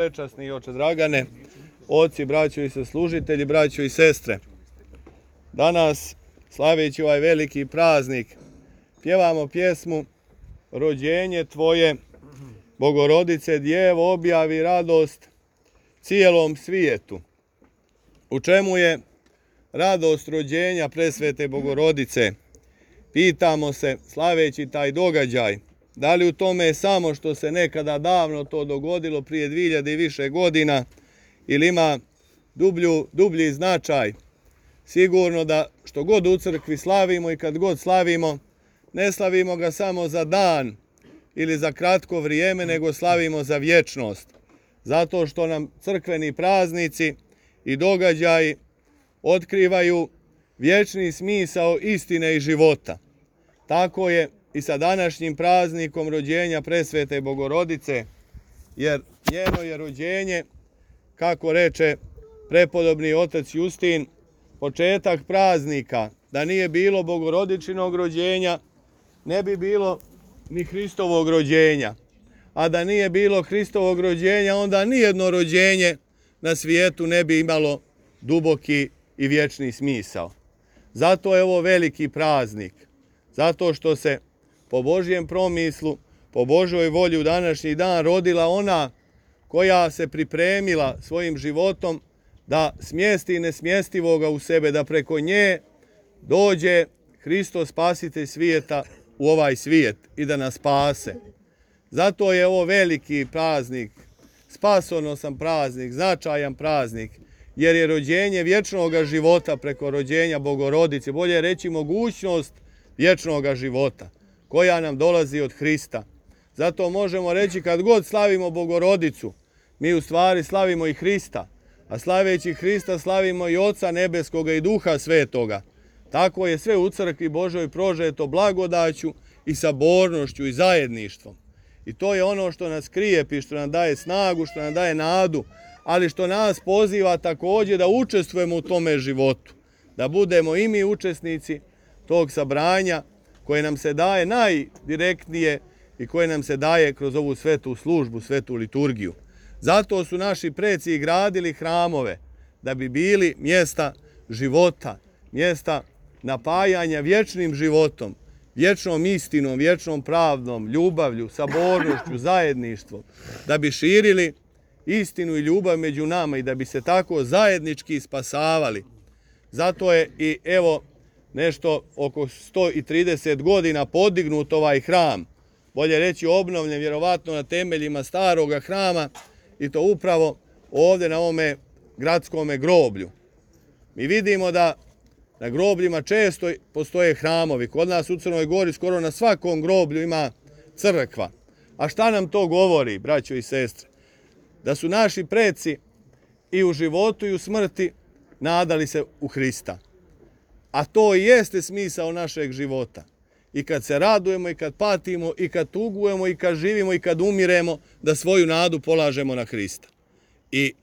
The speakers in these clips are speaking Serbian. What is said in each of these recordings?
Prečasni oče Dragane, oci, braćo i saslužitelji, braćo i sestre. Danas, slaveći ovaj veliki praznik, pjevamo pjesmu Rođenje Tvoje, Bogorodice Djevo, objavi radost cijelom svijetu. U čemu je radost rođenja presvete Bogorodice? Pitamo se, slaveći taj događaj, da li u tome samo što se nekada davno to dogodilo prije 2000 i više godina ili ima dublji značaj? Sigurno da što god u crkvi slavimo i kad god slavimo, ne slavimo ga samo za dan ili za kratko vrijeme, nego slavimo za vječnost. Zato što nam crkveni praznici i događaji otkrivaju vječni smisao istine i života. Tako je i sa današnjim praznikom rođenja presvete Bogorodice, jer njeno je rođenje, kako reče prepodobni otac Justin, početak praznika. Da nije bilo Bogorodičinog rođenja, ne bi bilo ni Hristovog rođenja. A da nije bilo Hristovog rođenja, onda nijedno rođenje na svijetu ne bi imalo duboki i vječni smisao. Zato je ovo veliki praznik. Zato što se po Božjem promislu, po Božoj volji u današnji dan rodila ona koja se pripremila svojim životom da smjesti nesmjestivoga u sebe, da preko nje dođe Hristos spasitelj svijeta u ovaj svijet i da nas spase. Zato je ovo veliki praznik, spasonosan praznik, značajan praznik, jer je rođenje vječnog života preko rođenja Bogorodice, bolje reći mogućnost vječnog života koja nam dolazi od Hrista. Zato možemo reći kad god slavimo Bogorodicu, mi u stvari slavimo i Hrista, a slaveći Hrista slavimo i Oca Nebeskoga i Duha Svetoga. Tako je sve u crkvi Božoj prožeto blagodaću i sabornošću i zajedništvom. I to je ono što nas krijepi, što nam daje snagu, što nam daje nadu, ali što nas poziva također da učestvujemo u tome životu, da budemo i mi učesnici tog sabranja koje nam se daje najdirektnije i koje nam se daje kroz ovu svetu službu, svetu liturgiju. Zato su naši preci gradili hramove, da bi bili mjesta života, mjesta napajanja vječnim životom, vječnom istinom, vječnom pravdom, ljubavlju, sabornošću, zajedništvom, da bi širili istinu i ljubav među nama i da bi se tako zajednički spasavali. Zato je i evo nešto oko 130 godina podignut ovaj hram, bolje reći obnovljen vjerovatno na temeljima staroga hrama i to upravo ovdje na ovome gradskome groblju. Mi vidimo da na grobljima često postoje hramovi. Kod nas u Crnoj Gori skoro na svakom groblju ima crkva. A šta nam to govori, braćo i sestre? Da su naši preci i u životu i u smrti nadali se u Hrista. A to i jeste smisao našeg života. I kad se radujemo, i kad patimo, i kad tugujemo, i kad živimo, i kad umiremo, da svoju nadu polažemo na Hrista. I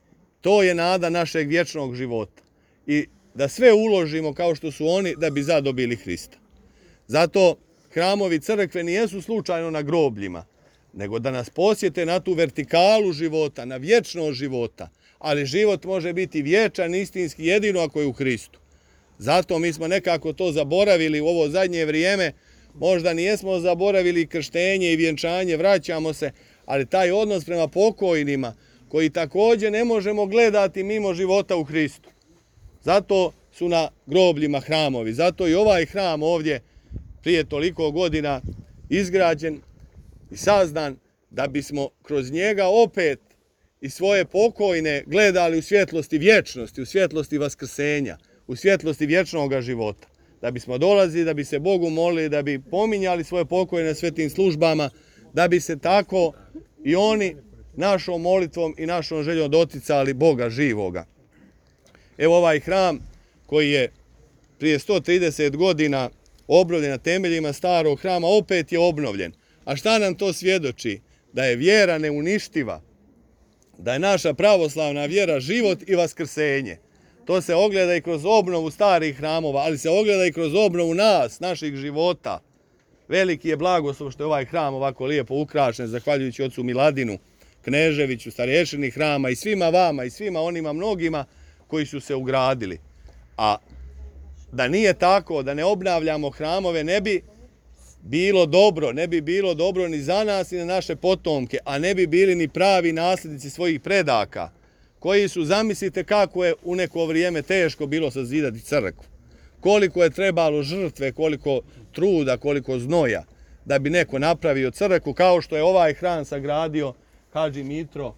to je nada našeg vječnog života. I da sve uložimo kao što su oni da bi zadobili Hrista. Zato hramovi crkve nijesu slučajno na grobljima, nego da nas posjete na tu vertikalu života, na vječnost života. Ali život može biti vječan, istinski, jedino ako je u Hristu. Zato mi smo nekako to zaboravili u ovo zadnje vrijeme. Možda nijesmo zaboravili krštenje i vjenčanje, vraćamo se, ali taj odnos prema pokojnima, koji također ne možemo gledati mimo života u Hristu. Zato su na grobljima hramovi. Zato i ovaj hram ovdje prije toliko godina izgrađen i sazdan da bismo kroz njega opet i svoje pokojne gledali u svjetlosti vječnosti, u svjetlosti vaskrsenja, u svjetlosti vječnog života. Da bismo dolazili, da bi se Bogu molili, da bi pominjali svoje pokojne svetim službama, da bi se tako i oni našom molitvom i našom željom doticali Boga živoga. Evo ovaj hram koji je prije 130 godina obnovljen na temeljima starog hrama, opet je obnovljen. A šta nam to svjedoči? Da je vjera neuništiva, da je naša pravoslavna vjera život i vaskrsenje. To se ogleda i kroz obnovu starih hramova, ali se ogleda i kroz obnovu nas, naših života. Veliki je blagoslov što je ovaj hram ovako lijepo ukrašen, zahvaljujući ocu Miladinu, Kneževiću, starješini hrama i svima vama i svima onima mnogima koji su se ugradili. A da nije tako, da ne obnavljamo hramove, ne bi bilo dobro ni za nas ni na naše potomke, a ne bi bili ni pravi nasljednici svojih predaka, koji su, zamislite kako je u neko vrijeme teško bilo sazidati crkvu. Koliko je trebalo žrtve, koliko truda, koliko znoja da bi neko napravio crkvu, kao što je ovaj hram sagradio hadži Mitro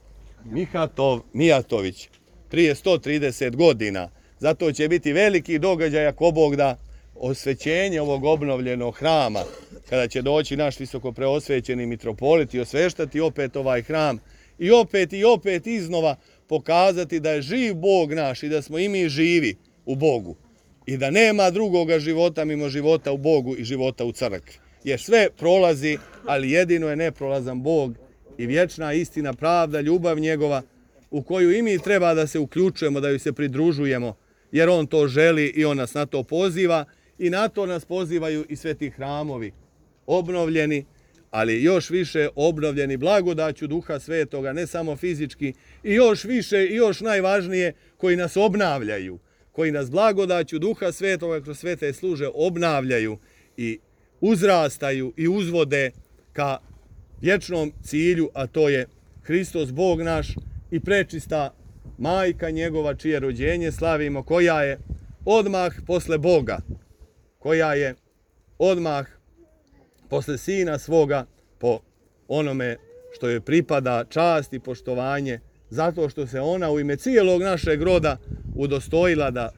Mijatović prije 130 godina. Zato će biti veliki događaj, ako Bog da, osvećenje ovog obnovljenog hrama, kada će doći naš visoko preosvećeni mitropolit i osveštati opet ovaj hram i opet iznova pokazati da je živ Bog naš i da smo i mi živi u Bogu i da nema drugoga života mimo života u Bogu i života u crkvi. Jer sve prolazi, ali jedino je neprolazan Bog i vječna istina, pravda, ljubav njegova, u koju i mi treba da se uključujemo, da ju se pridružujemo, jer on to želi i on nas na to poziva i na to nas pozivaju i sveti hramovi obnovljeni, ali još više obnovljeni blagodaću Duha Svetoga, ne samo fizički, i još više i još najvažnije koji nas obnavljaju, koji nas blagodaću Duha Svetoga kroz svete služe obnavljaju i uzrastaju i uzvode ka vječnom cilju, a to je Hristos Bog naš i prečista majka njegova, čije rođenje slavimo, koja je odmah posle Boga, koja je odmah posle Sina svoga, po onome što joj pripada čast i poštovanje, zato što se ona u ime cijelog našeg roda udostojila da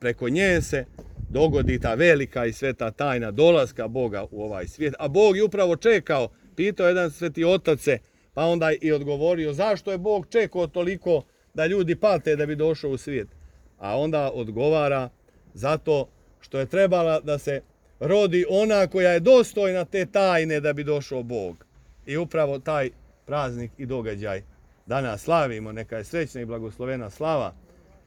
preko nje se dogodi ta velika i sveta tajna dolaska Boga u ovaj svijet. A Bog je upravo čekao, pitao jedan sveti otac se, pa onda i odgovorio zašto je Bog čekao toliko da ljudi pate da bi došao u svijet. A onda odgovara zato što je trebala da se rodi ona koja je dostojna te tajne da bi došao Bog. I upravo taj praznik i događaj danas slavimo. Neka je srećna i blagoslovena slava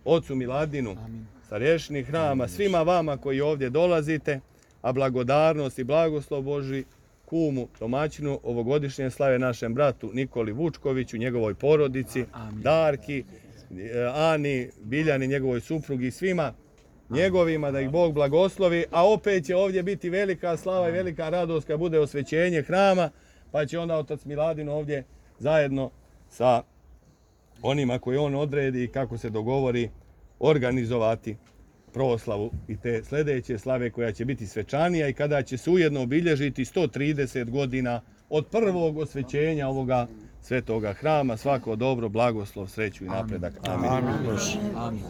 Ocu Miladinu, starješini hrama, svima vama koji ovdje dolazite, a blagodarnost i blagoslov Božji kumu, domaćinu ovogodišnje slave našem bratu Nikoli Vučkoviću, njegovoj porodici, Darki, Ani, Biljani, njegovoj suprugi i svima njegovima, da ih Bog blagoslovi, a opet će ovdje biti velika slava i velika radost kad bude osvećenje hrama, pa će onda otac Miladin ovdje zajedno sa onima koji on odredi i kako se dogovori organizovati proslavu i te sljedeće slave koja će biti svečanija i kada će se ujedno obilježiti 130 godina od prvog osvećenja ovoga svetoga hrama. Svako dobro, blagoslov, sreću i napredak. Amin. Amin.